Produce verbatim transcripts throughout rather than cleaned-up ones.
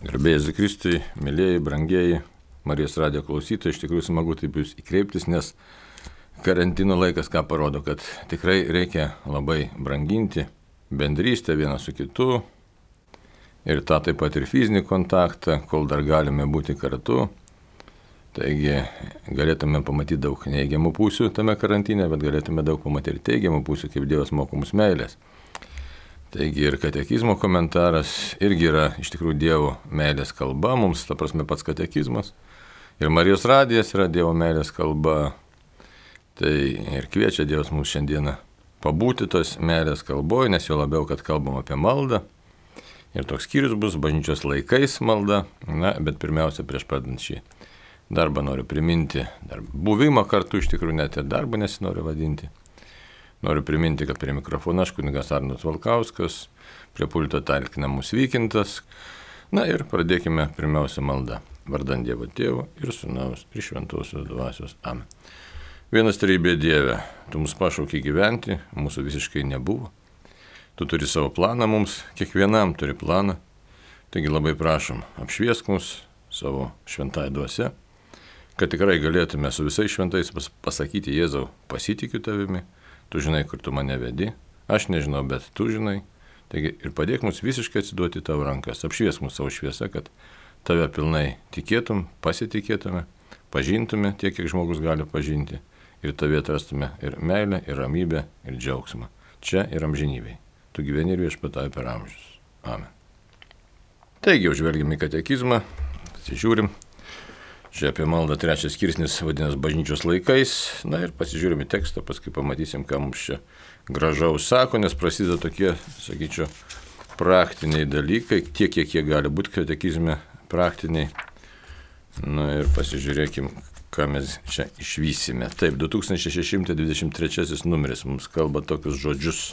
Garbėjai Jėzui Kristui, mėlyjeji, brangieji Marijos radijo klausytojai, iš tikrųjų smagu taip jūs įkreiptis, nes karantino laikas ką parodo, kad tikrai reikia labai branginti bendrystę vieną su kitu ir tą taip pat ir fizinį kontaktą, kol dar galime būti kartu. Taigi galėtume pamatyti daug neigiamų pusių tame karantine, bet galėtume daug pamatyti ir teigiamų pusių, kaip Dievas moko mus meilės. Taigi ir katekizmo komentaras irgi yra iš tikrųjų Dievo meilės kalba, mums ta prasme pats katekizmas. Ir Marijos radijas yra Dievo meilės kalba. Tai ir kviečia Dievas mums šiandieną pabūti tos meilės kalboje, nes jo labiau, kad kalbam apie maldą. Ir toks skyrius bus bažnyčios laikais malda. Na, bet pirmiausia, prieš pradant šį darbą noriu priminti dar buvimą kartu, iš tikrųjų net ir darbą nesinoriu vadinti. Noriu priminti, kad prie mikrofono aš kunigas Arnas Valkauskas, prie pulto talkinamus Vykintas. Na ir pradėkime pirmiausia maldą. Vardan Dievo Tėvo ir Sūnaus ir Šventosios Dvasios. Amen. Vienas trejybė Dieve, tu mus pašaukei gyventi, mūsų visiškai nebuvo. Tu turi savo planą mums, kiekvienam turi planą. Taigi labai prašom, apšviesk mus savo šventąją dvasią, kad tikrai galėtume su visais šventais pasakyti Jėzau, pasitikiu tavimi. Tu žinai, kur tu mane vedi, aš nežinau, bet tu žinai. Taigi ir padėk mums visiškai atsiduoti tavo rankas, apšviesk mūsų savo šviesą, kad tave pilnai tikėtum, pasitikėtume, pažintume tiek, kiek žmogus gali pažinti ir tave atrastume ir meilę, ir ramybę, ir džiaugsmą. Čia ir amžinybei. Tu gyveni ir viešpatauji per amžius. Amen. Taigi, užvelgime į katekizmą, pasižiūrim. Čia apie maldą trečias skirsnis vadinasi bažnyčios laikais. Na ir pasižiūrime tekstą, paskui pamatysim, ką mums čia gražaus sako, nes prasideda tokie, sakyčiau, praktiniai dalykai, tiek, kiek jie gali būti katekizme praktiniai. Na ir pasižiūrėkim, ką mes čia išvysime. Taip, du tūkstančiai šeši šimtai dvidešimt trečiasis numeris mums kalba tokius žodžius.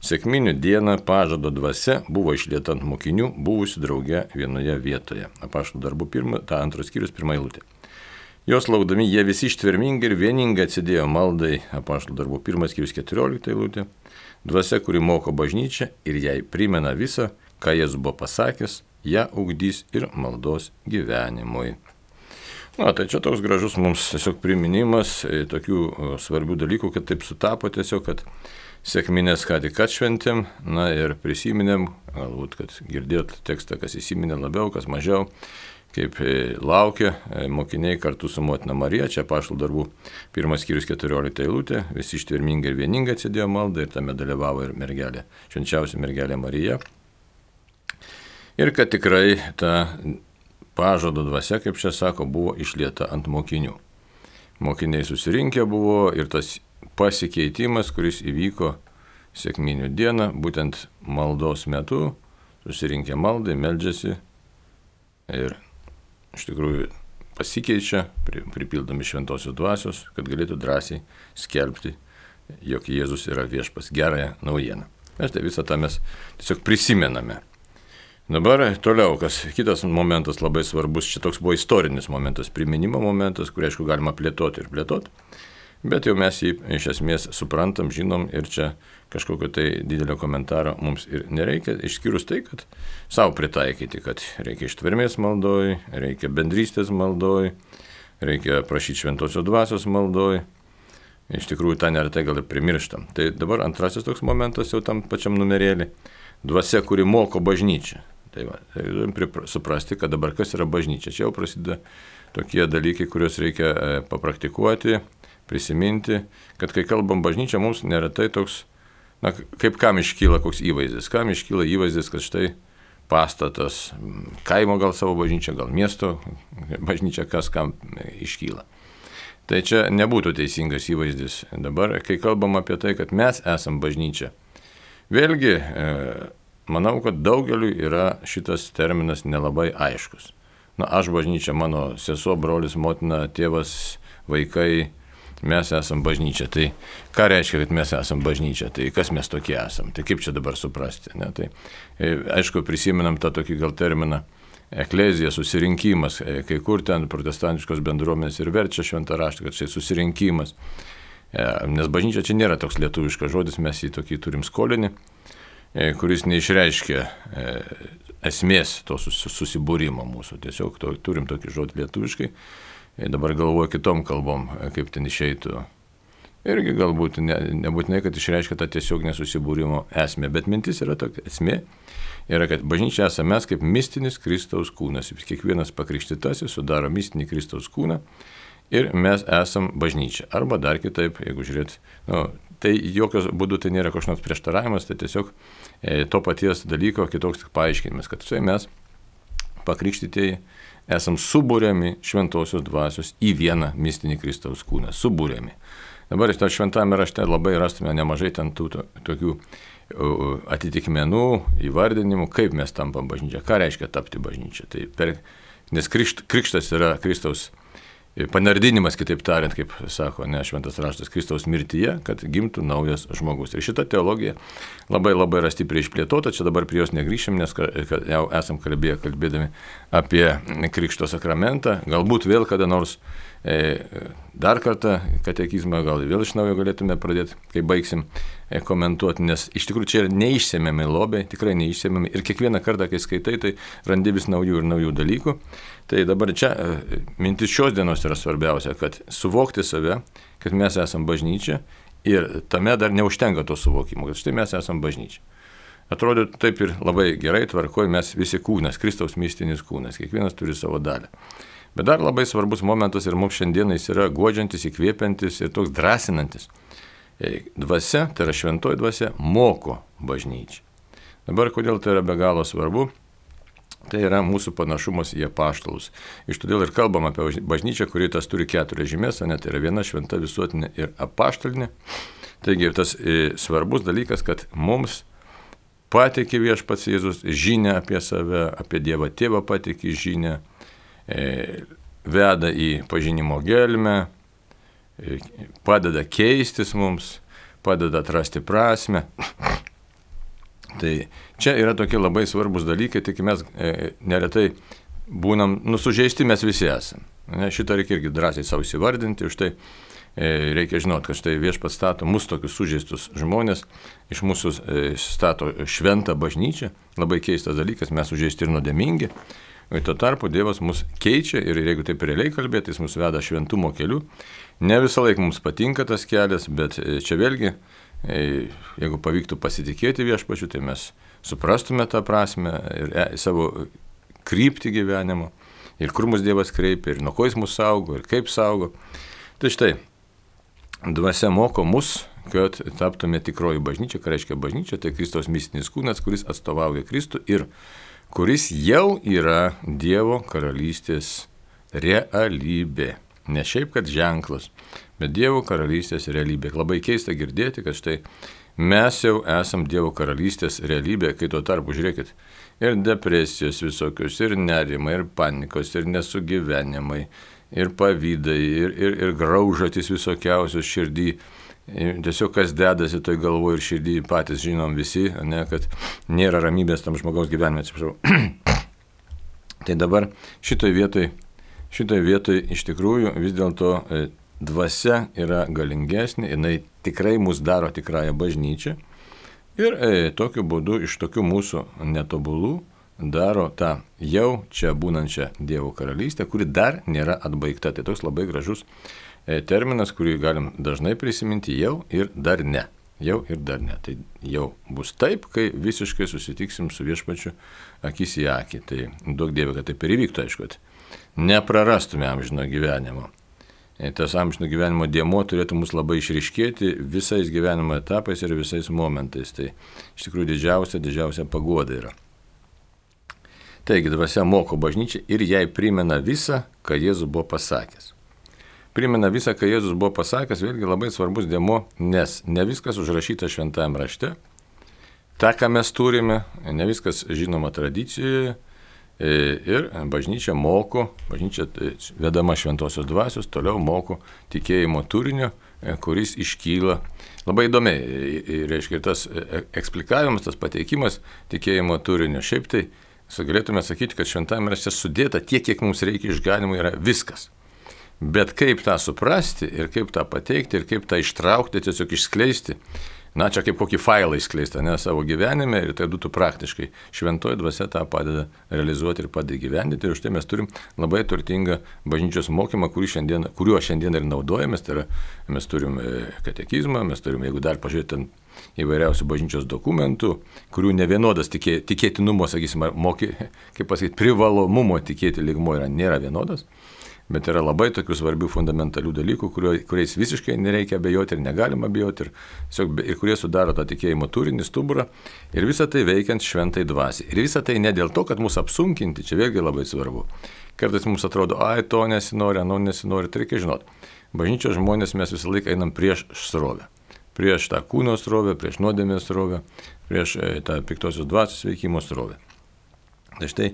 Sekminių dieną pažado dvasia buvo išlieta ant mokinių, buvusių drauge vienoje vietoje. Apaštalų darbų pirma, ta antros skyrius, pirma eilutė. Jos laukdami jie visi ištvermingai ir vieningai atsidėjo maldai. Apaštalų darbų pirmas skyrius, keturiolikta eilutė. Dvasia, kuri moko bažnyčią ir jai primena visą, ką Jėzus buvo pasakęs, ją ugdys ir maldos gyvenimui. Na, tai čia toks gražus mums tiesiog priminimas tokių svarbių dalykų, kad taip sutapo tiesiog, kad sekminės ką tik atšventėm, na ir prisiminėm, galbūt, kad girdėjot tekstą, kas įsiminė labiau, kas mažiau, kaip laukia mokiniai kartu su motina Marija, čia Apaštalų darbų pirmas skyrius keturiolikta eilutė, visi ištvermingai ir vieningai atsidėjo maldą ir tame dalyvavo ir mergelė, švenčiausia mergelė Marija. Ir kad tikrai ta pažado dvasia, kaip čia sako, buvo išlieta ant mokinių. Mokiniai susirinkę buvo ir tas pasikeitimas, kuris įvyko sekminių dieną, būtent maldos metu, susirinkę maldai, meldžiasi ir iš tikrųjų pasikeičia, pripildomi šventosios dvasios, kad galėtų drąsiai skelbti, jog Jėzus yra viešpas, gerąją naujieną. Mes tai visą tą mes tiesiog prisimename. Dabar toliau, kas kitas momentas labai svarbus, čia toks buvo istorinis momentas, priminimo momentas, kurį aišku galima plėtoti ir plėtoti. Bet jau mes jį iš esmės suprantam, žinom ir čia kažkokio tai didelio komentaro mums ir nereikia, išskyrus tai, kad savo pritaikyti, kad reikia ištvermės maldoj, reikia bendrystės maldoj, reikia prašyti šventosios dvasios maldoj. Iš tikrųjų, tą neretai gal ir primirštam. Tai dabar antrasis toks momentas jau tam pačiam numerėlį. Dvasia, kuri moko bažnyčią. Tai va, tai turim suprasti, kad dabar kas yra bažnyčia. Čia jau prasideda tokie dalykai, kuriuos reikia papraktikuoti, prisiminti, kad kai kalbam bažnyčia, mums neretai toks, na, kaip kam iškyla koks įvaizdis. Kam iškyla įvaizdis, kad štai pastatas, kaimo gal savo bažnyčia, gal miesto bažnyčia, kas kam iškyla. Tai čia nebūtų teisingas įvaizdis. Dabar, kai kalbam apie tai, kad mes esam bažnyčia, vėlgi, manau, kad daugeliui yra šitas terminas nelabai aiškus. Na, aš bažnyčia, mano sesuo, brolis, motina, tėvas, vaikai, mes esam bažnyčia. Tai ką reiškia, kad mes esam bažnyčia? Tai kas mes tokie esam? Tai kaip čia dabar suprasti? Ne? Tai, aišku, prisimenam tą tokį gal terminą eklezija, susirinkimas. Kai kur ten protestantiškos bendruomenės ir verčia šventą raštą, kad čia susirinkimas. Nes bažnyčia čia nėra toks lietuviškas žodis, mes jį tokį turim skolinį. kuris neišreiškia esmės to susibūrimo mūsų. Tiesiog to, turim tokį žodį lietuviškai. Dabar galvoju kitom kalbom, kaip ten išeitų. Irgi galbūt ne, nebūtinai, kad išreiškia tą tiesiog nesusibūrimo esmę, bet mintis yra tokia esmė, yra, kad bažnyčia esame mes kaip mistinis Kristaus kūnas. Kiekvienas pakrikštytasis sudaro mistinį Kristaus kūną ir mes esam bažnyčia. Arba dar kitaip, jeigu žiūrėt, nu, tai jokios būdų tai nėra kažkoks nors prieštaravimas, tai tiesiog e, to paties dalyko kitoks tik paaiškinimas, kad štai mes pakrikštytieji esam subūriami šventosios dvasios į vieną mistinį Kristaus kūną. Subūriami. Dabar iš to šventame rašte labai rastume nemažai ten tų to, tokių atitikmenų, įvardinimų, kaip mes tampam bažnyčia, ką reiškia tapti bažnyčia. Tai per, nes krikšt, krikštas yra Kristaus panardinimas, kitaip tariant, kaip sako ne šventas raštas, Kristaus mirtyje, kad gimtų naujas žmogus. Ir šita teologija labai labai yra stipriai išplėtota, čia dabar prie jos negrįšim, nes jau esam kalbėję, kalbėdami apie krikšto sakramentą, galbūt vėl kada nors e, dar kartą katekizmą, gal vėl iš naujo galėtume pradėti, kai baigsim e, komentuoti, nes iš tikrųjų čia yra neišsemiami lobiai, tikrai neišsemiami ir kiekvieną kartą, kai skaitai, tai randi vis naujų ir naujų dalykų. Tai dabar čia e, mintis šios dienos yra svarbiausia, kad suvokti save, kad mes esam bažnyčia ir tame dar neužtenka to suvokimo, kad štai mes esam bažnyčia. Atrodo taip ir labai gerai tvarkoj, mes visi kūnas, Kristaus mistinis kūnas, kiekvienas turi savo dalį. Bet dar labai svarbus momentas ir mums šiandieną jis yra guodžiantis, įkvėpiantis ir toks drąsinantis. Dvasia, tai yra šventoji dvasia, moko bažnyčią. Dabar kodėl tai yra be galo svarbu? Tai yra mūsų panašumas į apaštalus. Iš todėl ir kalbam apie bažnyčią, kuri tas turi keturias žymės, ne, tai yra viena šventa visuotinė ir apaštalinė. Taigi tas e, svarbus dalykas, kad mums pateikė viešpats Jėzus žinią apie save, apie Dievą Tėvą pateikė žinią, e, veda į pažinimo gelmę, e, padeda keistis mums, padeda atrasti prasmę. Tai čia yra tokie labai svarbus dalykai, tik mes e, neretai būnam, nusužeisti mes visi esame. Ne, šitą reikia irgi drąsiai savo įsivardinti, už tai e, reikia žinoti, kad štai viešpats stato mus tokius sužeistus žmonės, iš mūsų e, stato šventą bažnyčią, labai keistas dalykas, mes sužeisti ir nuodėmingi, o tuo tarpu Dievas mus keičia ir jeigu taip realiai kalbėti, jis mus veda šventumo keliu. Ne visą laiką mums patinka tas kelias, bet čia vėlgi, jeigu pavyktų pasitikėti viešpačiu, tai mes suprastume tą prasme ir savo kryptį gyvenimo, ir kur mus Dievas kreipia, ir nuo ko jis mus saugo, ir kaip saugo. Tai štai, dvasia moko mus, kad taptume tikroji bažnyčia, ką reiškia bažnyčia, tai Kristaus mistinis kūnas, kuris atstovauja Kristų ir kuris jau yra Dievo karalystės realybė. Ne šiaip, kad ženklas, bet Dievo karalystės realybė. Labai keista girdėti, kad štai mes jau esam Dievo karalystės realybė, kai tuo tarpu, žiūrėkit, ir depresijos visokios, ir nerimai, ir panikos, ir nesugyvenimai, ir pavydai, ir, ir, ir graužatys visokiausios širdį. Tiesiog kas dedasi toj galvoje ir širdį patys žinom visi, ne, kad nėra ramybės tam žmogaus gyvenime, atsiprašau. Tai dabar šitoj vietoj Šitoje vietoje iš tikrųjų vis dėlto dvasia yra galingesnė, jinai tikrai mus daro tikrąją bažnyčią ir e, tokiu būdu iš tokių mūsų netobulų daro tą jau čia būnančią Dievo karalystę, kuri dar nėra atbaigta. Tai toks labai gražus e, terminas, kurį galim dažnai prisiminti jau ir dar ne. Jau ir dar ne. Tai jau bus taip, kai visiškai susitiksim su viešpačiu akis į akį. Tai duok Dieve, kad taip ir įvyktų, aišku, kad neprarastume amžino gyvenimo. Tas amžino gyvenimo dėmuo turėtų mus labai išryškėti visais gyvenimo etapais ir visais momentais. Tai iš tikrųjų didžiausia, didžiausia paguoda yra. Taigi, dvasia moko bažnyčią ir jai primena visą, ką Jėzus buvo pasakęs. Primena visą, ką Jėzus buvo pasakęs, vėlgi labai svarbus dėmuo, nes ne viskas užrašyta šventajame rašte. Ta, ką mes turime, ne viskas žinoma tradicijoje. Ir bažnyčia moko, bažnyčia vedama šventosios dvasios, toliau moko tikėjimo turinio, kuris iškyla. Labai įdomiai, reiškia, ir tas eksplikavimas, tas pateikimas tikėjimo turinio. Šiaip tai galėtume sakyti, kad šventame rašte sudėta tiek, kiek mums reikia išganimui, yra viskas. Bet kaip tą suprasti ir kaip tą pateikti ir kaip tą ištraukti, tiesiog išskleisti, na, čia kaip kokį failą įskleistą, ne, savo gyvenime ir tai būtų praktiškai. Šventoji dvasia tą padeda realizuoti ir padeda gyvendinti. Ir už tai mes turim labai turtingą bažnyčios mokymą, šiandien, kuriuo šiandien ir naudojamės. Tai yra, mes turim katekizmą, mes turim, jeigu dar pažiūrėtum, įvairiausių bažnyčios dokumentų, kurių nevienodas tikė, tikėtinumo, sakysim, moky, kaip pasakyti, privalomumo tikėti lygmo yra, nėra vienodas. Bet yra labai tokių svarbių fundamentalių dalykų, kurio, kuriais visiškai nereikia abejoti ir negalima abejoti, ir, tiesiog, ir kurie sudaro tą tikėjimo turinį, stuburą, ir visą tai veikiant šventai dvasiai. Ir visą tai ne dėl to, kad mūsų apsunkinti, čia vėlgi labai svarbu. Kartais mums atrodo, ai, to nesinori, ano nesinori, tai reikia žinoti. Bažnyčios žmonės mes visą laiką einam prieš srovę. Prieš tą kūno srovę, prieš nuodėmės srovę, prieš tą piktosios dvasios veikimo srovę. Tai štai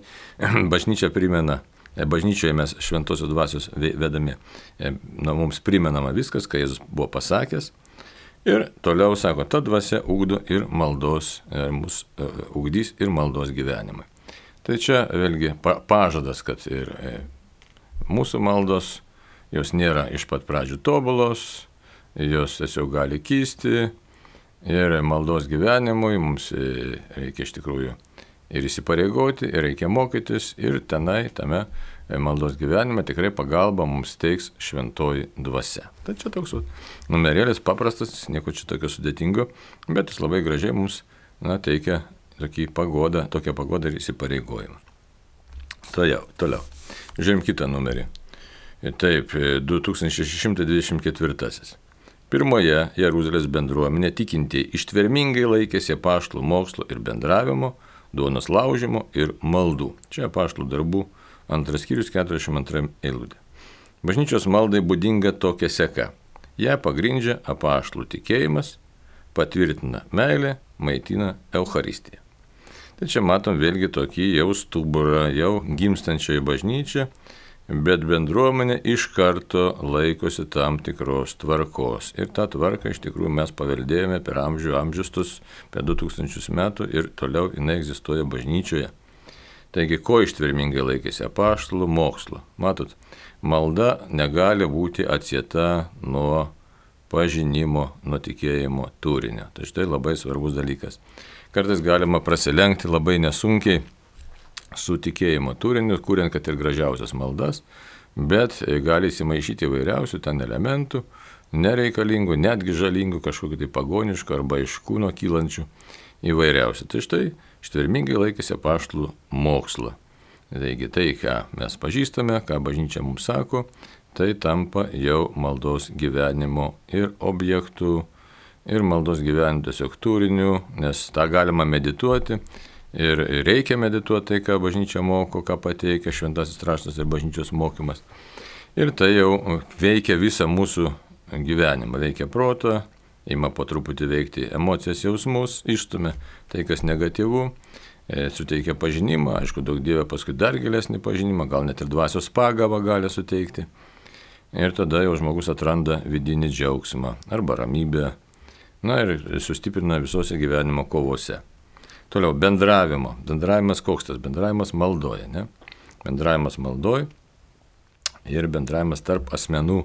bažnyčia primena, bažnyčioje mes šventosios dvasios vedami, na, mums primenama viskas, ką Jėzus buvo pasakęs. Ir toliau sako, ta dvasia ugdo ir maldos, mus ugdys ir maldos gyvenimai. Tai čia vėlgi pa, pažadas, kad ir mūsų maldos, jos nėra iš pat pradžių tobulos, jos tiesiog gali kysti ir maldos gyvenimui mums reikia iš tikrųjų ir įsipareigoti, ir reikia mokytis, ir tenai, tame maldos gyvenime tikrai pagalba mums teiks šventoji dvasia. Tai čia toks numerėlis paprastas, nieko čia tokio sudėtingo, bet jis labai gražiai mums, na, teikia tokį pagodą, tokią pagodą ir įsipareigojimą. Toliau, toliau. Žiūrėjom kitą numerį. Taip, du tūkstančiai šeši šimtai dvidešimt ketvirtasis. Pirmoje Jeruzalės bendruomenė tikintieji ištvermingai laikėsi apaštalų mokslo ir bendravimo, duonos laužimo ir maldų. Čia apaštalų darbų antras skyrius keturiasdešimt antra eilutė. Bažnyčios maldai būdinga tokia seka. Ją pagrindžia apaštalų tikėjimas, patvirtina meilė, maitina Eucharistiją. Tai čia matom vėlgi tokį jau stuburą, jau gimstančią bažnyčią, bet bendruomenė iš karto laikosi tam tikros tvarkos. Ir tą tvarką iš tikrųjų mes paveldėjome per amžių amžiustus, per du tūkstančius metų ir toliau jinai egzistuoja bažnyčioje. Taigi, ko ištvermingai laikėsi apaštalų mokslo? Matot, malda negali būti atsieta nuo pažinimo, nuo tikėjimo turinio. Tai štai labai svarbus dalykas. Kartais galima prasilenkti labai nesunkiai su tikėjimo turiniu, kuriant kad ir gražiausias maldas, bet gali įsimaišyti įvairiausių ten elementų, nereikalingų, netgi žalingų, kažkokių tai pagoniškų arba iš kūno kylančių įvairiausių. Tai štai ištvermingai laikėsi apaštalų mokslo. Taigi tai, ką mes pažįstame, ką bažnyčia mums sako, tai tampa jau maldos gyvenimo ir objektų, ir maldos gyvenimo tiesiog turiniu, nes tą galima medituoti. Ir reikia medituoti tai, ką bažnyčia moko, ką pateikia šventasis raštas ir bažnyčios mokymas. Ir tai jau veikia visą mūsų gyvenimą, veikia protą, ima po truputį veikti emocijas, jausmus, išstumia tai, kas negatyvu, suteikia pažinimą, aišku, daug Dieve paskui dar gilesnį pažinimą, gal net ir dvasios pagavą gali suteikti. Ir tada jau žmogus atranda vidinį džiaugsmą arba ramybę, na ir sustiprina visose gyvenimo kovose. Toliau, bendravimo. Bendravimas koks tas? Bendravimas maldoje, ne? Bendravimas maldoje ir bendravimas tarp asmenų,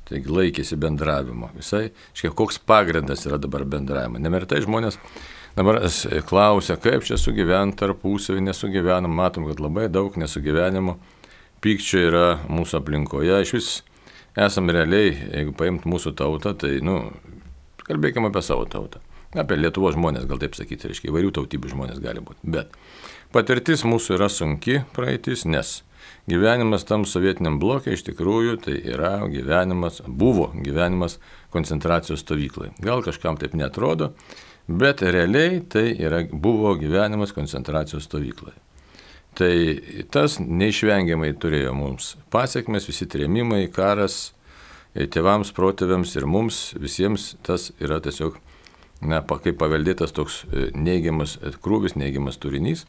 taigi laikėsi bendravimo. Visai, škai, koks pagrindas yra dabar bendravimo. Nemirtai žmonės dabar klausia, kaip čia sugyventi tarpusavį, nesugyvenam, matom, kad labai daug nesugyvenimo, pykčio yra mūsų aplinkoje. Iš vis esam realiai, jeigu paimt mūsų tautą, tai, nu, kalbėkime apie savo tautą. Apie Lietuvos žmonės, gal taip sakyti, reiškia, įvairių tautybių žmonės gali būti. Bet patirtis mūsų yra sunki praeitis, nes gyvenimas tam sovietiniam blokė iš tikrųjų tai yra gyvenimas, buvo gyvenimas koncentracijos stovyklai. Gal kažkam taip netrodo, bet realiai tai yra, buvo gyvenimas koncentracijos stovyklai. Tai tas neišvengiamai turėjo mums pasiekmes, visi trėmimai, karas, tėvams, protėviams ir mums visiems tas yra tiesiog, na, kaip paveldėtas toks neigiamas krūvis, neigiamas turinys.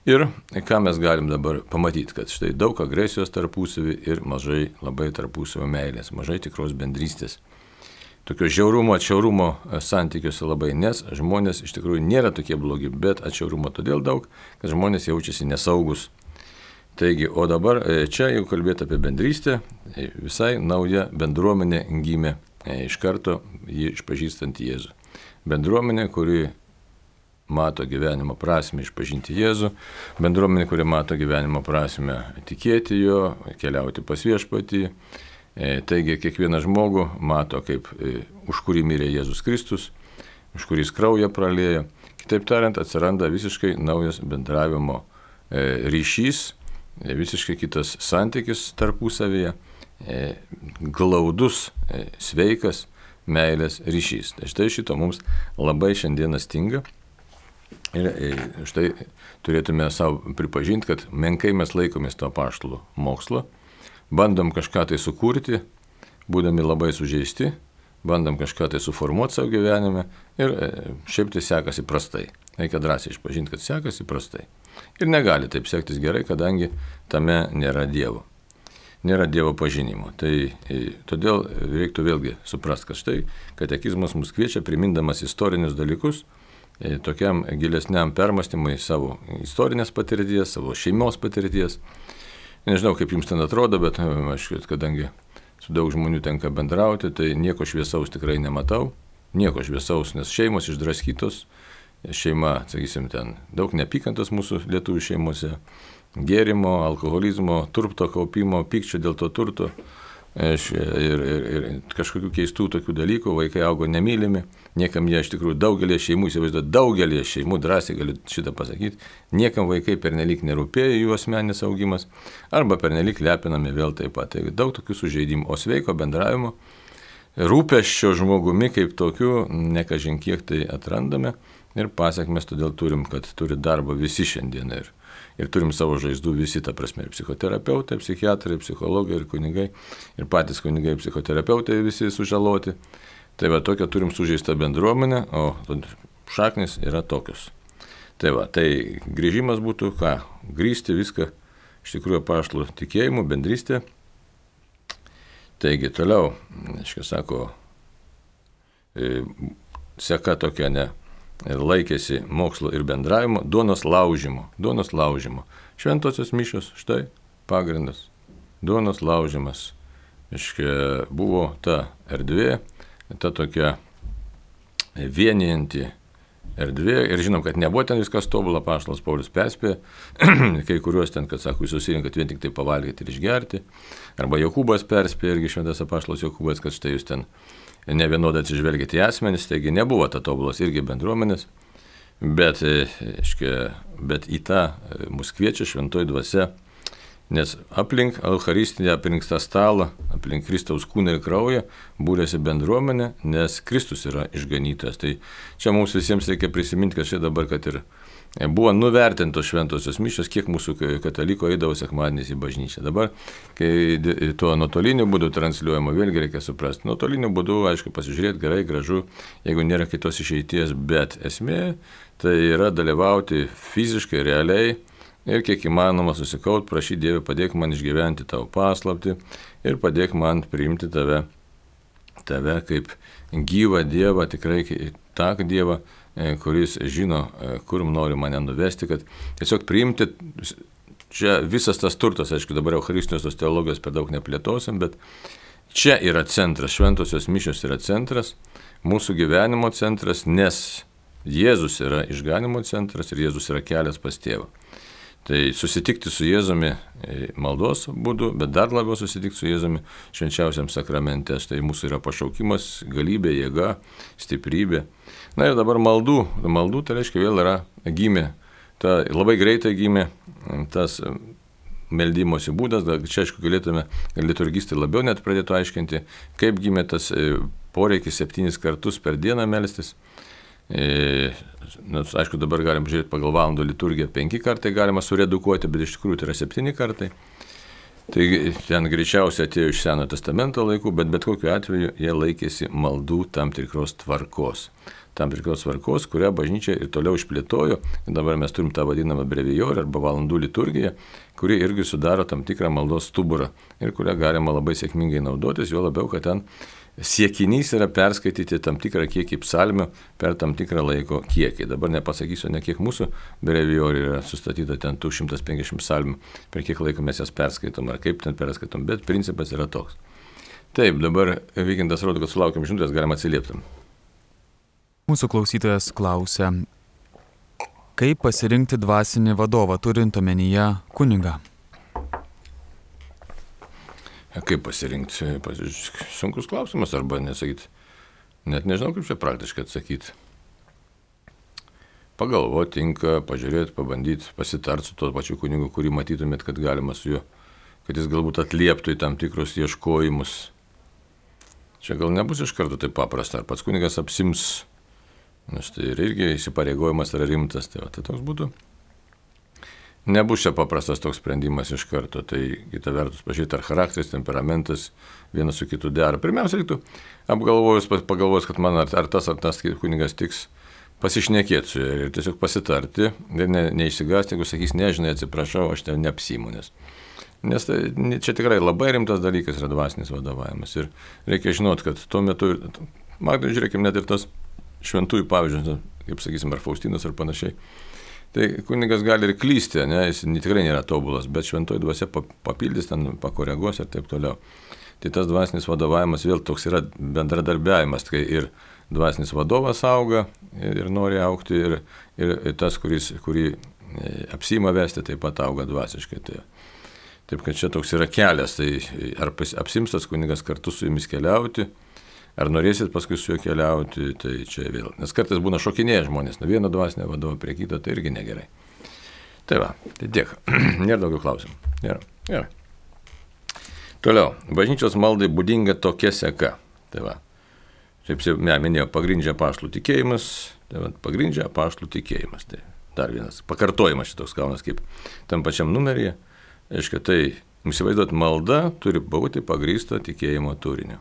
Ir ką mes galim dabar pamatyti, kad štai daug agresijos tarpusavį ir mažai labai tarpusavio meilės, mažai tikros bendrystės. Tokio žiaurumo, atšiaurumo santykiuose labai, nes žmonės iš tikrųjų nėra tokie blogi, bet atšiaurumo todėl daug, kad žmonės jaučiasi nesaugus. Taigi, o dabar čia, jeigu kalbėti apie bendrystę, visai nauja bendruomenė gimė iš karto jį išpažįstant Jėzų. bendruomenė, kuri mato gyvenimo prasme išpažinti Jėzų, bendruomenė, kuri mato gyvenimo prasme tikėti jo, keliauti pas viešpatį. Taigi kiekvieną žmogų mato, kaip už kurį mirė Jėzus Kristus, už kurį jis kraują praliejo. Kitaip tariant, atsiranda visiškai naujas bendravimo ryšys, visiškai kitas santykis tarpusavyje, glaudus, sveikas meilės ryšys. Tai štai šito mums labai šiandieną stinga. Ir štai turėtume savo pripažinti, kad menkai mes laikomės to apaštalų mokslo, bandom kažką tai sukurti, būdami labai sužeisti, bandom kažką tai suformuoti savo gyvenime ir šiaip tai sekasi prastai. Reikia drąsiai išpažinti, kad sekasi prastai. Ir negali taip sektis gerai, kadangi tame nėra Dievo. Nėra Dievo pažinimo. Tai todėl reiktų vėlgi suprasti, kad štai katekizmas mus kviečia, primindamas istorinius dalykus, tokiam gilesniam permastymui savo istorinės patirties, savo šeimos patirties. Nežinau, kaip jums ten atrodo, bet aš, kadangi su daug žmonių tenka bendrauti, tai nieko šviesaus tikrai nematau. Nieko šviesaus, nes šeimos išdraskytos. Šeima, sakysim, ten daug neapykantos mūsų lietuvių šeimose. Gėrimo, alkoholizmo, turto kaupimo, pykčio dėl to turto. Ir, ir, ir kažkokių keistų tokių dalykų, vaikai augo nemylimi, niekam jie iš tikrųjų daugelį šeimų, įsivaizduoju, daugelį šeimų, drąsiai galiu šitą pasakyti, niekam vaikai pernelyg nerūpėjo jų asmeninis augimas, arba pernelyg lepinami vėl taip pat. Tai daug tokių sužeidimų, o sveiko bendravimo, rūpesčio žmogumi kaip tokiu, nekažin kiek tai atrandame ir pasiekmes todėl turim, kad turi darbą visi šiandien ir Ir turim savo žaizdų visi, ta prasme, ir psichoterapeutai, psichiatrai, psichologai ir kunigai, ir patys kunigai, psichoterapeutai visi sužaloti. Tai va, tokia turim sužeistą bendruomenę, o šaknis yra tokios. Tai va, tai grįžimas būtų, ką, grįsti viską, iš tikrųjų apaštalų tikėjimu, bendrystė. Taigi, toliau, aiškiai sako, seka tokia, ne, laikėsi mokslo ir bendravimo, duonos laužimo, duonos laužimo. Šventosios mišios, štai pagrindas, duonos laužimas. Iškia, buvo ta erdvė, ta tokia vienijanti erdvė ir žinom, kad nebuvo ten viskas tobula, apaštalas Paulius perspėjo, kai kuriuos ten, kad sako, jūs susirinkat vien tik tai pavalgyti ir išgerti, arba Jokūbas perspėjo, irgi šventas apaštalas Jokūbas, kad štai jūs ten ne vienodai atsižvelgėte į asmenis, taigi nebuvo ta tobulos irgi bendruomenės, bet, iškia, bet į tą mus kviečia šventoji dvasia, nes aplink Eucharistinę, aplink tą stalą, aplink Kristaus kūną ir kraują būrėsi bendruomenė, nes Kristus yra išganytojas. Tai čia mums visiems reikia prisiminti, kad čia dabar, kad ir buvo nuvertintos šventosios mišios, kiek mūsų kataliko eidavo sekmadieniais į bažnyčią. Dabar, kai tuo nuotoliniu būdu transliuojama, vėlgi reikia suprasti. Nuotoliniu būdu, aišku, pasižiūrėti gerai, gražu, jeigu nėra kitos išeities, bet esmė tai yra dalyvauti fiziškai, realiai ir kiek įmanoma susikaut, prašyti Dievą, padėk man išgyventi tavo paslaptį ir padėk man priimti tave, tave kaip gyvą Dievą, tikrai tą Dievą, kuris žino, kur nori mane nuvesti, kad tiesiog priimti, čia visas tas turtas, aišku, dabar eucharistinės tos teologijos per daug neplėtosim, bet čia yra centras, šventosios mišios yra centras, mūsų gyvenimo centras, nes Jėzus yra išganimo centras ir Jėzus yra kelias pas tėvą. Tai susitikti su Jėzumi maldos būdu, bet dar labiau susitikti su Jėzumi švenčiausiam sakramente. Tai mūsų yra pašaukimas, galybė, jėga, stiprybė. Na ir dabar maldų. Maldų tai reiškia vėl yra gimė. Ta, labai greitai gimė tas meldimosi būdas. Čia aišku galėtume liturgistai labiau net pradėtų aiškinti, kaip gimė tas poreikis septynis kartus per dieną melstis. E, nes, aišku, dabar galim žiūrėti pagal valandų liturgiją, penki kartai galima suredukuoti, bet iš tikrųjų tai yra septyni kartai. Tai ten greičiausiai atėjo iš Senojo testamento laikų, bet bet kokiu atveju jie laikėsi maldų tam tikros tvarkos. Tam tikros tvarkos, kurią bažnyčia ir toliau išplėtojo. Dabar mes turim tą vadinamą brevijorę arba valandų liturgiją, kuri irgi sudaro tam tikrą maldos stuburą ir kurią galima labai sėkmingai naudotis, jo labiau, kad ten siekinys yra perskaityti tam tikrą kiekį psalmių per tam tikrą laiko kiekį. Dabar nepasakysiu, ne kiek mūsų brevijorių yra sustatyta ten šimtas penkiasdešimt psalmių, per kiek laiko mes jas perskaitom ar kaip ten perskaitom, bet principas yra toks. Taip, dabar Vykintas rodo, kad sulaukėm žinutės, galima atsiliepti. Mūsų klausytojas klausia, kaip pasirinkti dvasinį vadovą, turint omenyje kunigą? Kaip pasirinkti? Sunkus klausimas, arba nesakyti. Net nežinau, kaip čia praktiškai atsakyti. Pagalvoti, tinka, pažiūrėti, pabandyti, pasitarti su tuo pačiu kunigu, kurį matytumėt, kad galima su juo, kad jis galbūt atlieptų į tam tikrus ieškojimus. Čia gal nebus iš karto taip paprasta, ar pats kunigas apsims, nes tai ir irgi įsipareigojimas yra rimtas, tai, va, tai toks būtų. Nebus čia paprastas toks sprendimas iš karto, tai kita vertus pažiūrėti, ar charakteris, temperamentas vienas su kitu dera. Pirmiausia, reiktų apgalvojus, pagalvojus, kad man ar, ar tas, ar tas kunigas tiks, pasišnekėti su juo ir tiesiog pasitarti ir ne, neišsigąsti, jeigu sakys, nežinai, atsiprašau, aš ten neapsiimu, nes, nes tai, čia tikrai labai rimtas dalykas yra dvasinis vadovavimas ir reikia žinoti, kad tuo metu, matai, žiūrėkime, net ir tas šventųjų pavyzdžius, kaip sakysim, ar Faustinas ar panašiai, tai kunigas gali ir klysti, ne, jis tikrai nėra tobulas, bet šventoji dvasia papildys, ten pakoreguos ir taip toliau. Tai tas dvasinis vadovavimas vėl toks yra bendradarbiavimas, kai ir dvasinis vadovas auga ir nori augti, ir, ir tas, kuris, kurį apsiima vesti, taip pat auga dvasiškai. Tai, taip, kad čia toks yra kelias, tai ar apsims tas kunigas kartu su jumis keliauti, ar norėsit paskui su juo keliauti, tai čia vėl. Nes kartais būna šokinėję žmonės, nuo vieno dvasinio vadovo prie kito, tai irgi negerai. Tai va, tai tiek. Nėra daugiau klausimų. Nėra. Gerai. Toliau, bažnyčios maldai būdinga tokia seka. Tai va. Taip jau minėjau, pagrindžia apaštalų tikėjimas, tai va, pagrindžia apaštalų tikėjimas. Tai dar vienas pakartojimas šitoks kaunas kaip tam pačiam numeryje. Aiškia, tai įsivaizduot, malda turi būti pagrįsta tikėjimo turinio.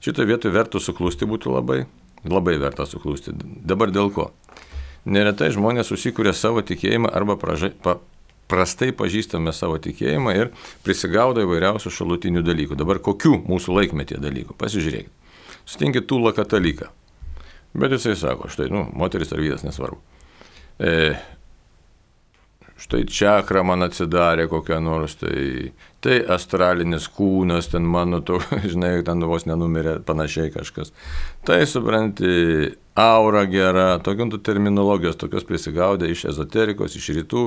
Šitoje vietoje vertų suklusti būtų labai, labai verta suklusti. Dabar dėl ko? Neretai žmonės susikūrė savo tikėjimą arba pražai, pa, prastai pažįstame savo tikėjimą ir prisigaudo įvairiausių šalutinių dalykų. Dabar kokių mūsų laikmetie dalykų? Pasižiūrėkit. Sutinkit tūlą kataliką. Bet jisai sako, štai, nu, moteris ar vyras, nesvarbu. E, štai čakra man atsidarė kokią nors, tai, tai astralinis kūnas, ten mano, to, žinai, ten vos nenumirė, panašiai kažkas. Tai, supranti, aura gera, tokių terminologijos, tokios prisigaudė iš ezoterikos, iš rytų,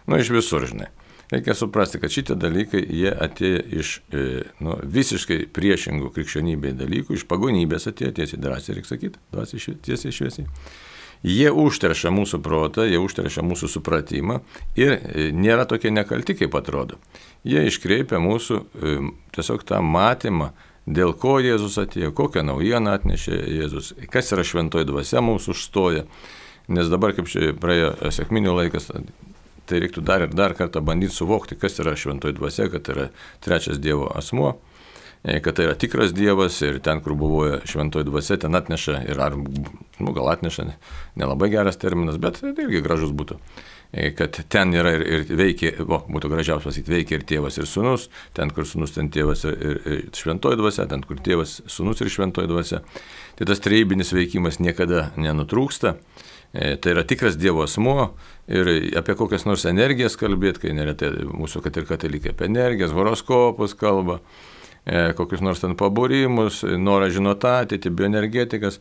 nu, iš visur, žinai. Reikia suprasti, kad šitie dalykai, jie atėjo iš e, nu, visiškai priešingų krikščionybei dalykų, iš pagonybės atėjo, tiesiai drąsiai, reikia sakyti, drąsiai, tiesiai šviesiai. Jie užteršia mūsų protą, jie užteršia mūsų supratimą ir e, nėra tokie nekalti, kaip atrodo. Jie iškreipia mūsų e, tiesiog tą matymą, dėl ko Jėzus atėjo, kokią naujieną atnešė Jėzus, kas yra šventoji dvasia mums užstoja. Nes dabar, kaip čia praėjo sekminių laikas, tai reiktų dar ir dar kartą bandyti suvokti, kas yra šventoji dvasia, kad yra trečias Dievo asmuo, kad tai yra tikras Dievas ir ten, kur buvo šventoji dvasia, ten atneša ir ar, nu, gal atneša, nelabai geras terminas, bet tai irgi gražus būtų, kad ten yra ir, ir veikia, o, būtų gražiausia pasakyti, veikia ir tėvas ir sūnus, ten, kur sūnus, ten tėvas ir, ir, ir šventoji dvasia, ten, kur tėvas, sūnus ir šventoji dvasia. Tai tas trejybinis veikimas niekada nenutrūksta. Tai yra tikras Dievo asmuo ir apie kokias nors energijas kalbėti, kai neretai mūsų, kad ir katalikai apie energijas, horoskopus kalba, kokius nors ten pabūrimus, norą žinoti ateitį, bioenergetikas.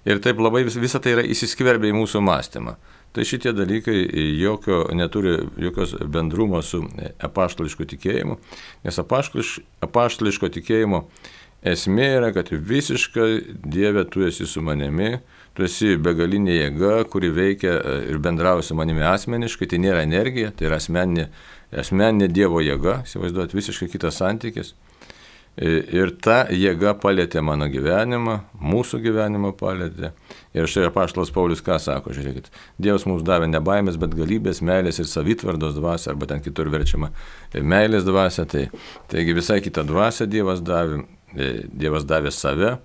Ir taip labai vis, visa tai yra įsiskverbę į mūsų mąstymą. Tai šitie dalykai jokio, neturi jokios bendrumo su apaštališku tikėjimu, nes apaštališ, apaštališko tikėjimo esmė yra, kad visiškai Dieve tu esi su manimi, tu esi begalinė jėga, kuri veikia ir bendrauja su manimi asmeniškai, tai nėra energija, tai yra asmeninė, asmeninė Dievo jėga, įsivaizduot, visiškai kitas santykis. Ir ta jėga palėtė mano gyvenimą, mūsų gyvenimą palėtė. Ir štai apaštalas Paulius ką sako, žiūrėkit, Dievas mums davė ne baimės, bet galybės, meilės ir savitvardos dvasia, arba ten kitur verčiama meilės dvasia, tai, taigi visai kitą dvasią Dievas davė, Dievas davė save.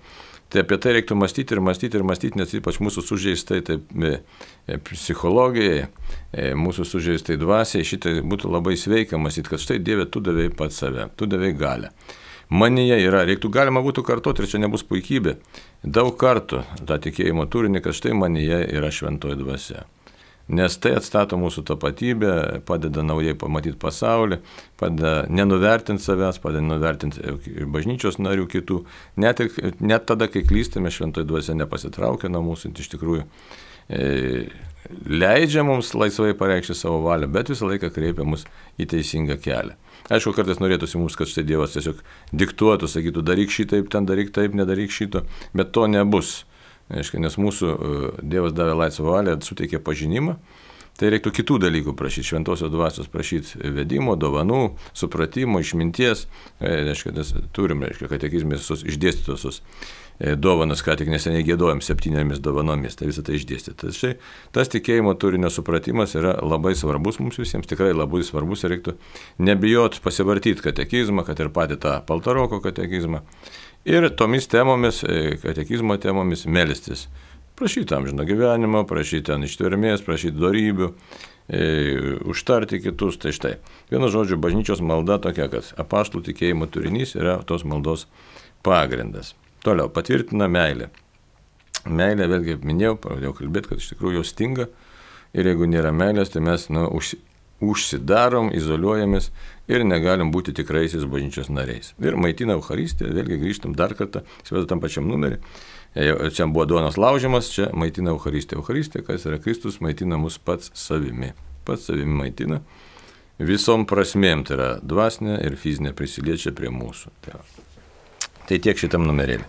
Tai apie tai reiktų mąstyti ir mąstyti ir mąstyti, nes ypač mūsų sužeistai taip, psichologijai, mūsų sužeistai dvasiai, šitai būtų labai sveika mąstyti, kad štai Dieve, tu davėjai pats save, tu davėjai galią. Manyje yra, reiktų galima būtų kartoti ir čia nebus puikybė, daug kartų tą tikėjimo turinį, kad štai manyje yra šventoji dvasia. nes tai atstato mūsų tapatybę, padeda naujai pamatyti pasaulį, padeda nenuvertinti savęs, padeda nuvertinti bažnyčios narių kitų, net, ir, net tada, kai klystame, šventoji dvasia nepasitraukia nuo mūsų, iš tikrųjų e, leidžia mums laisvai pareikšti savo valią, bet visą laiką kreipia mus į teisingą kelią. Aišku, kartais norėtųsi mums, kad štai Dievas tiesiog diktuotų, sakytų, daryk šitaip, ten daryk taip, nedaryk šito, bet to nebus. Aišku, nes mūsų Dievas davė laisvą valią, suteikė pažinimą, tai reiktų kitų dalykų prašyti, šventosios dvasios prašyti vedimo, dovanų, supratimo, išminties. Aišku, turim, aišku, katekizme visus išdėstytos dovanas, ką tik neseniai giedojom septyniomis dovanomis, tai visą tai išdėstyti. Tai štai tas tikėjimo turinio supratimas yra labai svarbus mums visiems, tikrai labai svarbus, ir reiktų nebijot pasivartyti katekizmą, kad ir patį tą Paltaroko katekizmą. Ir tomis temomis, katekizmo temomis melstis. Prašyti amžino gyvenimo, prašyti ten ištvermės, prašyti dorybių, e, užtarti kitus. Tai štai, vienu žodžiu, bažnyčios malda tokia, kad apaštalų tikėjimo turinys yra tos maldos pagrindas. Toliau, patvirtina meilę. Meilė, vėlgi minėjau, pradėjau kalbėti, kad iš tikrųjų jos stinga, ir jeigu nėra meilės, tai mes nu, už, užsidarom, izoliuojamės ir negalim būti tikraisiais bažnyčios nariais. Ir maitina Eucharistiją, vėlgi grįžtam dar kartą, įsivaizduoju tam pačiam numerį. Čia buvo duonos laužimas, čia maitina Eucharistiją. Eucharistija, kas yra Kristus, maitina mus pats savimi. Pats savimi maitina. Visom prasmėm, tai yra dvasinė ir fizinė, prisiliečia prie mūsų. Tai, tai tiek šitam numerėlį.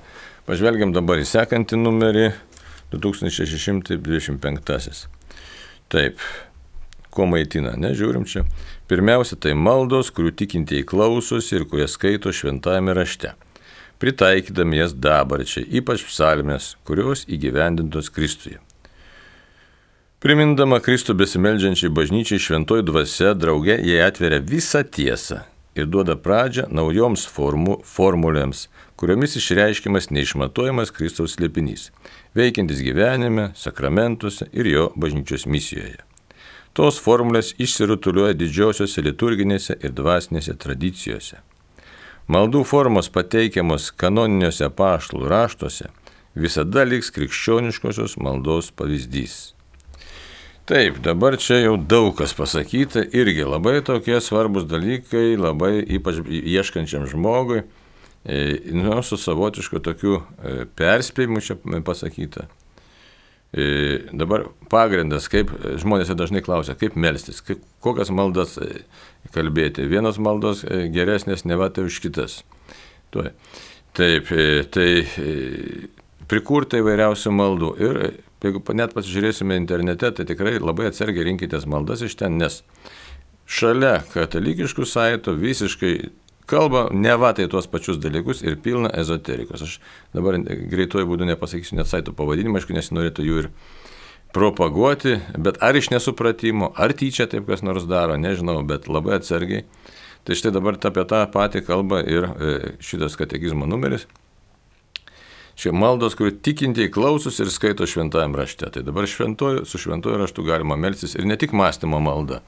Pažvelgiam dabar į sekantį numerį, du tūkstančiai šeši šimtai dvidešimt penktasis. Taip, ko maitina, nežiūrim čia. Pirmiausia, tai maldos, kurių tikintieji klausosi ir kurie skaito šventajame rašte, pritaikydami jas dabarčiai, ypač psalmės, kurios įgyvendintos Kristuje. Primindama Kristų besimeldžiančiai bažnyčiai, šventoji dvasia drauge jai atveria visą tiesą ir duoda pradžią naujoms formų, formulėms, kuriomis išreiškiamas neišmatuojamas Kristaus slėpinys, veikiantis gyvenime, sakramentuose ir jo bažnyčios misijoje. Tos formulės išsirutuliuoja didžiosiuose liturginėse ir dvasinėse tradicijose. Maldų formos pateikiamos kanoniniuose apaštalų raštuose visada liks krikščioniškosios maldos pavyzdys. Taip, dabar čia jau daug kas pasakyta, irgi labai tokie svarbus dalykai, labai ypač ieškančiam žmogui, nu, su savotišku tokiu perspėjimu čia pasakyta. Dabar pagrindas, kaip žmonės dažnai klausia, kaip melstis, kaip, kokias maldas kalbėti. Vienos maldos geresnės neva tai už kitas. Tuo. Taip, tai prikurta įvairiausių maldų. Ir jeigu net pasižiūrėsime internete, tai tikrai labai atsargiai rinkitės maldas iš ten, nes šalia katalikiškų saitų visiškai kalba neva tai tuos pačius dalykus ir pilna ezoterikos. Aš dabar greituoju būdu nepasakysiu net saitų pavadinimą, aišku, nesinorėtų jų ir propaguoti, bet ar iš nesupratimo, ar tyčia taip kas nors daro, nežinau, bet labai atsargiai. Tai štai dabar apie tą patį kalba ir šitas katekizmo numeris. Čia maldos, kurių tikintieji klausos ir skaito šventajam rašte. Tai dabar šventoju, su šventoju raštu galima melstis ir ne tik mąstymo malda.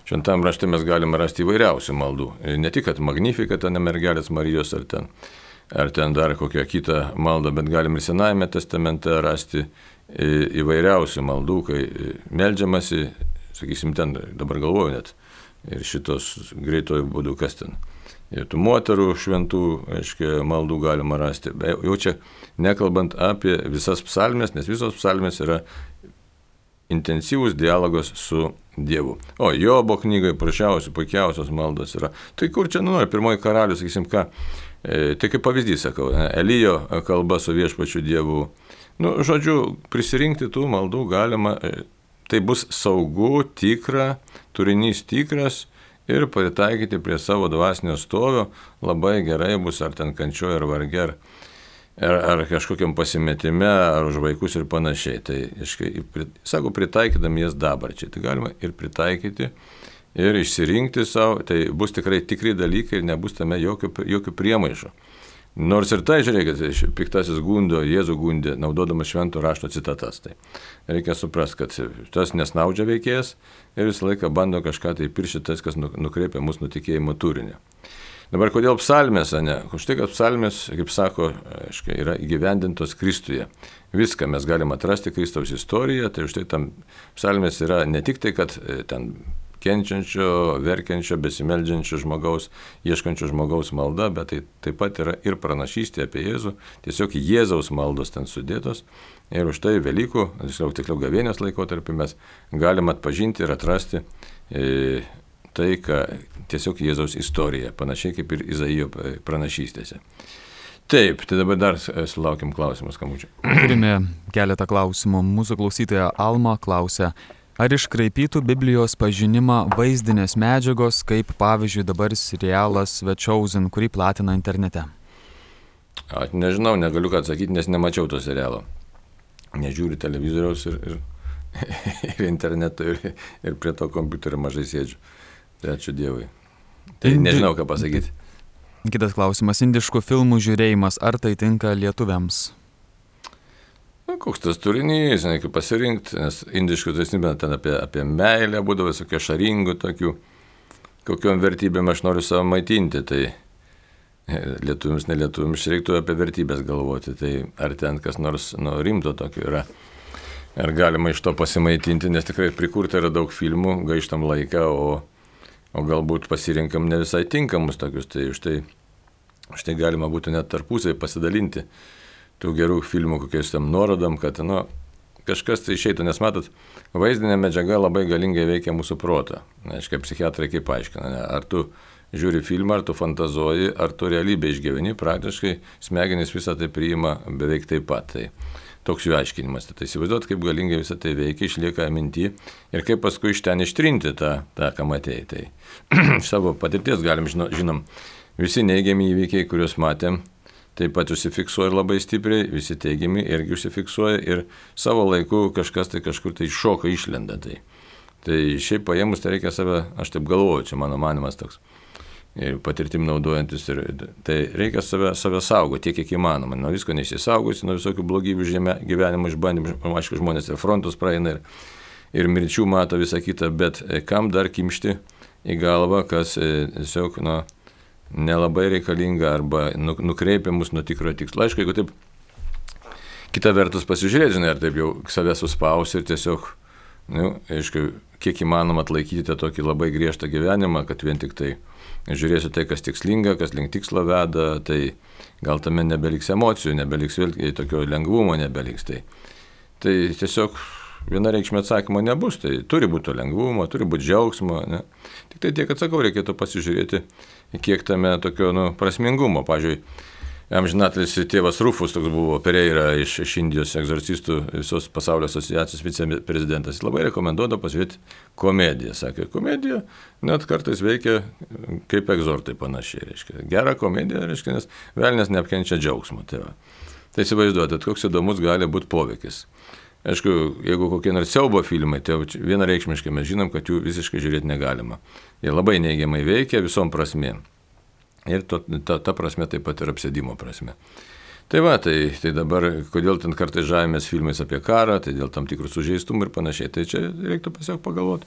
Šventajam rašte mes galime rasti įvairiausių maldų. Ne tik, kad Magnificat, ten mergelės Marijos ar ten, ar ten dar kokią kitą maldą, bet galim ir Senajame testamente rasti įvairiausių maldų, kai meldžiamasi, sakysim, ten dabar galvoju net, ir šitos greitojų būdų, kas ten. Ir tų moterų šventų, aiškiai, maldų galima rasti. Jau čia nekalbant apie visas psalmės, nes visos psalmės yra intensyvus dialogas su Dievu. O Jobo knygai prašiausių, puikiausios maldos yra. Tai kur čia, nu, pirmoji karalių, sakysim, ką, e, tai kaip pavyzdys, sakau, Elijo kalba su viešpačiu Dievu. Nu, žodžiu, prisirinkti tų maldų galima, e, tai bus saugu, tikra, turinys tikras, ir pritaikyti prie savo dvasinio stovio labai gerai bus, ar ten kančioje, ar varge, ar, ar, ar kažkokiam pasimetime, ar už vaikus ir panašiai. Tai, iškai, sako, pritaikydami jas dabarčiai. Tai galima ir pritaikyti, ir išsirinkti savo, tai bus tikrai tikri dalykai ir nebus tame jokių, jokių priemaišų. Nors ir tai, žiūrėkit, piktasis gundo, Jėzų gundė, naudodamas švento rašto citatas. Tai reikia suprasti, kad tas nesnaudžia veikėjas ir visą laiką bando kažką tai piršti tas, kas nukreipia mūsų nutikėjimo turinį. Dabar kodėl psalmės, ne? Už tai, kad psalmės, kaip sako, aiškiai, yra įgyvendintos Kristuje. Viską mes galime atrasti Kristaus istoriją, tai už tai tam psalmės yra ne tik tai, kad ten kenčiančio, verkiančio, besimeldžiančio žmogaus, ieškančio žmogaus malda, bet tai taip pat yra ir pranašystė apie Jėzų, tiesiog Jėzaus maldos ten sudėtos. Ir už tai Velykų, tiksliau, tiksliau gavėnios laikotarpį mes galime atpažinti ir atrasti e, tai, ką tiesiog Jėzaus istorija, panašiai kaip ir Izaijo pranašystėse. Taip, tai dabar dar sulaukim klausimus, kamučiai. Turime keletą klausimų. Mūsų klausytoja Alma klausia, ar iškraipytų Biblijos pažinimą vaizdinės medžiagos, kaip pavyzdžiui dabar serialas The Chosen, kurį platina internete? Aš nežinau, negaliu ką atsakyti, nes nemačiau to serialo. Nežiūriu televizoriaus ir, ir, ir interneto ir, ir prie to kompiuterio mažai sėdžiu. Tai ačiū Dievui. Tai Indi... nežinau, ką pasakyti. Kitas klausimas. Indiškų filmų žiūrėjimas, ar tai tinka lietuviams? Na, koks tas turinys, reikia pasirinkti, nes indiškų tai ten apie, apie meilę būdavo, visokie šaringų tokių, kokiom vertybėm aš noriu savo maitinti, tai lietuviams, nelietuviams reiktų apie vertybės galvoti, tai ar ten kas nors nu, rimto tokio yra, ar galima iš to pasimaitinti, nes tikrai prikurta yra daug filmų, gaištam laiką, o, o galbūt pasirinkam ne visai tinkamus tokius, tai už tai, už tai galima būtų net tarpusai pasidalinti tų gerų filmų kokiais tam nuorodom, kad nu, kažkas tai išeitų, nes matot, vaizdinė medžiaga labai galingai veikia mūsų protą. Aiškiai, psichiatrai kaip aiškina, ne? Ar tu žiūri filmą, ar tu fantazuoji, ar tu realybę išgyveni, praktiškai smegenys visą tai priima beveik taip pat. Tai toks jų aiškinimas. Tai įsivaizduot, kaip galingai visą tai veikia, išlieka minty ir kaip paskui iš ten ištrinti tą, tą ką matėjai. Tai savo patirties galim žinom, žinom visi neigiami įvykiai, kuriuos matėm, taip pat užsifiksuoja labai stipriai, visi teigiami irgi užsifiksuoja ir savo laiku kažkas tai kažkur tai šoka išlenda. Tai, tai šiaip paėmus tai reikia save, aš taip galvoju, čia mano manimas toks, ir patirtim naudojantis, ir, tai reikia save, save saugoti tiek, kiek įmanoma. Nuo visko neįsisaugosi, nuo visokių blogybių žemė, gyvenimo išbandymų, aišku, žmonės ir frontus praeina ir, ir mirčių mato visą kitą, bet kam dar kimšti į galvą, kas tiesiog, nu, nelabai reikalinga arba nukreipia mus nuo tikro tikslo. Aišku, jeigu taip kita vertus pasižiūrėti, žinai, ar taip jau save suspausi ir tiesiog, nu, aišku, kiek įmanoma atlaikyti tą tokį labai griežtą gyvenimą, kad vien tik tai žiūrėsiu tai, kas tikslinga, kas link tikslo veda, tai gal tame nebeliks emocijų, nebeliks vėl tokio lengvumo, nebeliks. Tai, tai tiesiog vienareikšmio atsakymo nebus, tai turi būti lengvumo, turi būti džiaugsmo, ne? Tik tai tiek, atsakau, reikėtų pasižiūrėti, kiek tame tokio nu, prasmingumo. Pavyzdžiui, amžinatelis tėvas Rufus toks buvo, Pereira iš, iš Indijos egzorcistų visos pasaulio asociacijos viceprezidentas. Jis labai rekomenduodavo pasižiūrėti komediją. Sakė, komedija net kartais veikia kaip egzortai panašiai. Reiškia. Gera komedija, reiškia, nes velnias neapkenčia džiaugsmo. Tai, tai įsivaizduotate, koks įdomus gali būti poveikis. Aišku, jeigu kokie nors siaubo filmai, tai vienareikšmiškai mes žinom, kad jų visiškai žiūrėti negalima. Jie labai neigiamai veikia visom prasmėm. Ir to, ta, ta prasme taip pat ir apsėdimo prasme. Tai va, tai, tai dabar, kodėl ten kartais žavimės filmais apie karą, tai dėl tam tikrų sužeistumų ir panašiai. Tai čia reiktų tiesiog pagalvoti,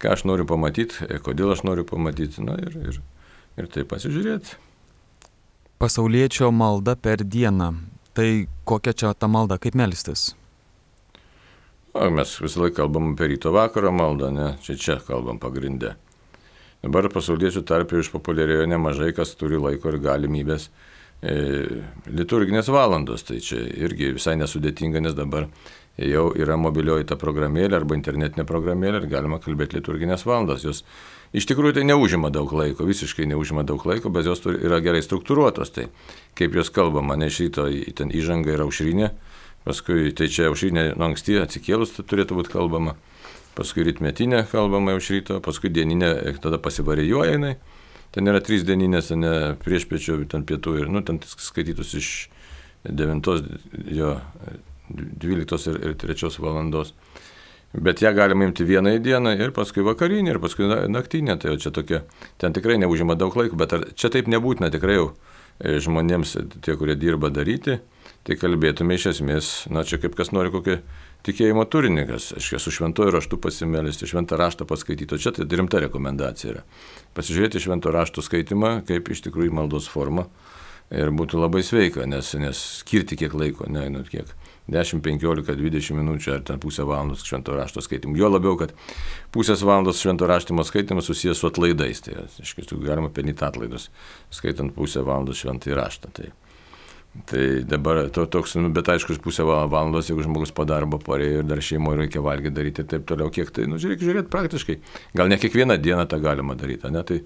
ką aš noriu pamatyti, kodėl aš noriu pamatyti, na ir, ir, ir tai pasižiūrėti. Pasauliečio malda per dieną. Tai kokia čia ta malda, kaip melstis? O, mes visą laiką kalbam apie ryto vakaro maldą, ne? Čia čia kalbam pagrindę. Dabar pasauliečių tarpe išpopuliarėjo nemažai, kas turi laiko ir galimybės e, liturginės valandos. Tai čia irgi visai nesudėtinga, nes dabar jau yra mobilioji ta programėlė arba internetinė programėlė ir galima kalbėti liturginės valandas. Jos iš tikrųjų tai neužima daug laiko, visiškai neužima daug laiko, bet jos turi, yra gerai struktūruotos. Tai kaip jos kalbama, ne iš ryto ten įžanga yra aušrinė. Paskui, tai čia aušrinė nuo anksti atsikėlus turėtų būti kalbama, paskui rytmetinė kalbama iš ryto, paskui dieninė, tada pasivarijuoja jinai, ten yra trys dieninės, ne priešpečio, ten pietų ir, nu, ten skaitytus iš devintos, jo, dvyliktos ir, ir trečios valandos. Bet ją galima imti vieną į dieną ir paskui vakarinį ir paskui naktinę, tai jau čia tokia, ten tikrai neužima daug laiko, bet ar, čia taip nebūtina tikrai jau žmonėms, tie, kurie dirba daryti, tai kalbėtume iš esmės, na čia kaip kas nori kokį tikėjimo turininkas, aš su šventoju raštu pasimelsti, šventą raštą paskaityti, o čia tai rimta rekomendacija yra. Pasižiūrėti švento rašto skaitimą kaip iš tikrųjų maldos forma ir būtų labai sveika, nes, nes skirti kiek laiko, ne, nu, kiek dešimt, penkiolika, dvidešimt minučių ar ten pusę valandos švento rašto skaitimų. Jo labiau, kad pusės valandos švento raštimo skaitimas susijęs su atlaidais, tai iš tiesų galima pelnyti atlaidus, skaitant pusę valandos šventąjį raštą. Tai, tai dabar to, toks, nu, bet aišku, pusę valandos, jeigu žmogus po darbo parėjo ir dar šeimoje reikia valgyti daryti ir taip toliau, kiek tai, nu, reikia žiūrėti praktiškai. Gal ne kiekvieną dieną tą galima daryti, ne, tai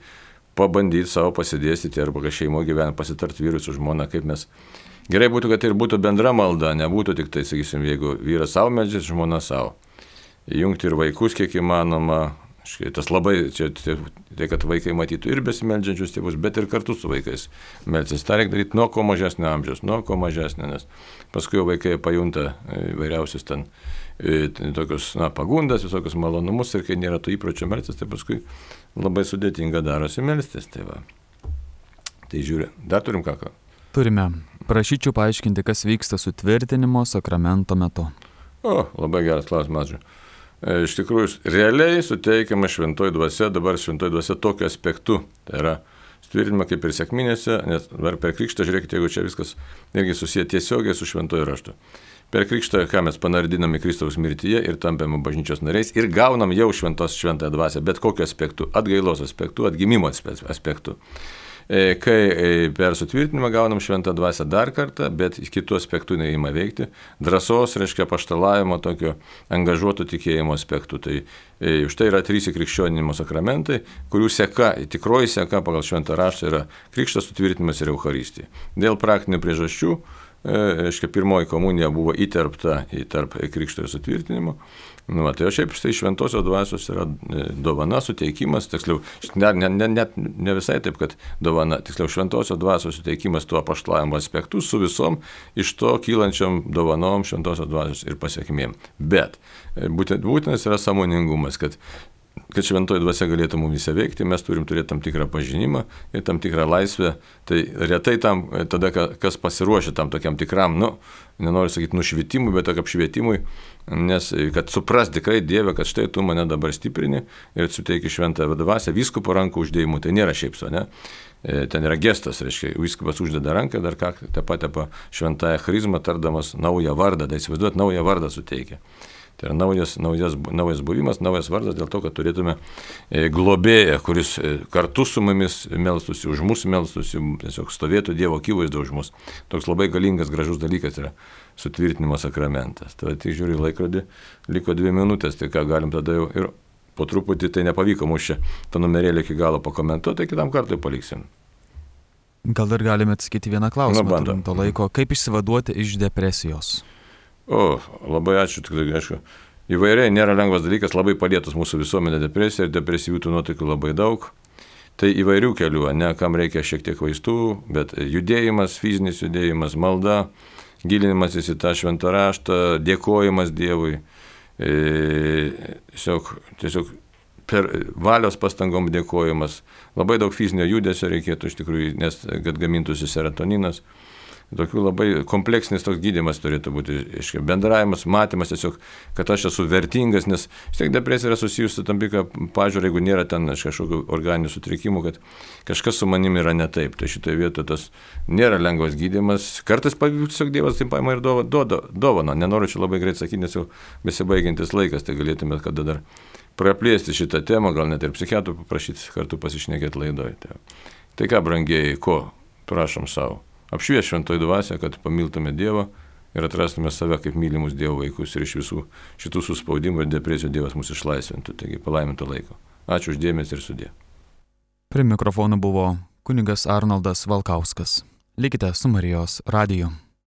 pabandyti savo pasidėstyti arba kai šeimoje gyvena, pasitart vyrui su žmona, kaip mes. Gerai būtų, kad tai ir būtų bendra malda, nebūtų tik tai, sakysim, jeigu vyras savo meldžiasi, žmona savo. Įjungti ir vaikus kiek įmanoma, tas labai, čia tai, kad vaikai matytų ir besimeldžiančius tėvus, bet ir kartu su vaikais meldsis. Ta reikia daryti nuo ko mažesnio amžiaus, nuo ko mažesnio, nes paskui jau vaikai pajunta įvairiausius ten tokius, na, pagundas, visokius malonumus ir kai nėra tų įpročio melstis, tai paskui labai sudėtinga darosi melstis. Tai, va. Tai žiūrė, dar turim ką ką? Turime. Prašyčiau paaiškinti, kas vyksta sutvirtinimo sakramento metu. O, labai geras klausimas. Iš tikrųjų, realiai suteikiama šventoji dvasia, dabar šventoji dvasia tokiu aspektu. Tai yra sutvirtinima kaip ir sekminėse, nes dabar per krikštą, žiūrėkite, jeigu čia viskas irgi susiję tiesiogiai su šventoju raštu. Per krikštą, ką mes panardiname Kristaus mirtyje ir tampame bažnyčios nariais ir gaunam jau šventos šventąją dvasią, bet kokiu aspektu, atgailos aspektu, atgimimo aspektu. Kai per sutvirtinimą gaunam šventą dvasią dar kartą, bet kitų aspektų neįma veikti, drąsos, reiškia, apaštalavimo, tokio angažuoto tikėjimo aspektų. Tai už tai yra trys krikščionimo sakramentai, kurių seka, tikroji seka pagal šventą raštą yra krikštas, sutvirtinimas ir Eucharistija. Dėl praktinių priežasčių, reiškia, pirmoji komunija buvo įterpta į tarp krikšto ir sutvirtinimo. Nu, va, tai o šiaip štai šventosios dvasios yra dovana, suteikimas, tiksliau, net ne, ne, ne, ne visai taip, kad dovana, tiksliau, šventosios dvasios suteikimas tuo apaštalavimo aspektu su visom iš to kylančiam dovanom šventosios dvasios ir pasiekmėm. Bet būtent, būtinas yra sąmoningumas, kad kad šventoji dvasia galėtų mumis veikti, mes turim turėti tam tikrą pažinimą ir tam tikrą laisvę. Tai retai tam, tada, kas pasiruošia tam tokiam tikram, nu, nenoriu sakyti nušvitimui, bet tokiam apšvietimui, nes kad supras tikrai Dieve, kad štai tu mane dabar stiprini ir suteiki šventąją dvasią, vyskupo rankų uždėjimu, tai nėra šiaip so, ne? Ten yra gestas, reiškia, vyskupas uždeda ranką, dar ką, tepa tepa šventąją charizmą, tardamas naują vardą, tai įsivaizduot, naują vardą suteikia. Tai yra naujas, naujas, naujas buvimas, naujas vardas dėl to, kad turėtume globėją, kuris kartu su mumis melstųsi, už mus melstųsi, tiesiog stovėtų Dievo akivaizdo už mus. Toks labai galingas, gražus dalykas yra sutvirtinimo sakramentas. Tai tik žiūri laikrodį, liko dvi minutės, tai ką galim tada jau ir po truputį, tai nepavyko mums čia tą numerėlį iki galo pakomentuoti, tai kitam kartui paliksim. Gal dar galime atsakyti vieną klausimą, turim to laiko. Kaip išsivaduoti iš depresijos? O, labai ačiū, tikrai, aišku, įvairiai nėra lengvas dalykas, labai palietus mūsų visuomenė depresija ir depresyvių tų nuotaikų labai daug. Tai įvairių kelių, ne, kam reikia šiek tiek vaistų, bet judėjimas, fizinis judėjimas, malda, gilinimasis į tą šventą raštą, dėkojimas Dievui, e, tiesiog, tiesiog per valios pastangom dėkojimas, labai daug fizinio judesio reikėtų iš tikrųjų, nes kad gamintųsi serotoninas. Tokių labai kompleksinis toks gydymas turėtų būti, iškia, bendravimas, matymas tiesiog, kad aš esu vertingas, nes vis tiek depresija yra susijusi su tam tikrą pažiūrą, jeigu nėra ten kažkokių organinių sutrikimų, kad kažkas su manimi yra ne taip. Tai šitoje vietoje tas nėra lengvas gydymas. Kartais tiesiog Dievas taip paima ir dovana. Nenoriu čia labai greit sakyti, nes jau besibaigiantis laikas, tai galėtume kada dar praplėsti šitą temą, gal net ir psichiatrų paprašyti kartu pasišnekėti laidoje. Tai, tai ką, brangieji, ko prašom savo? Apšvies šventoji dvasia, kad pamiltume Dievą ir atrastume save kaip mylimus Dievo vaikus ir iš visų šitų suspaudimų ir depresijų Dievas mus išlaisvintų. Taigi palaiminto laiko. Ačiū už dėmesį ir sudie. Prie mikrofono buvo kunigas Arnoldas Valkauskas. Likite su Marijos radiju.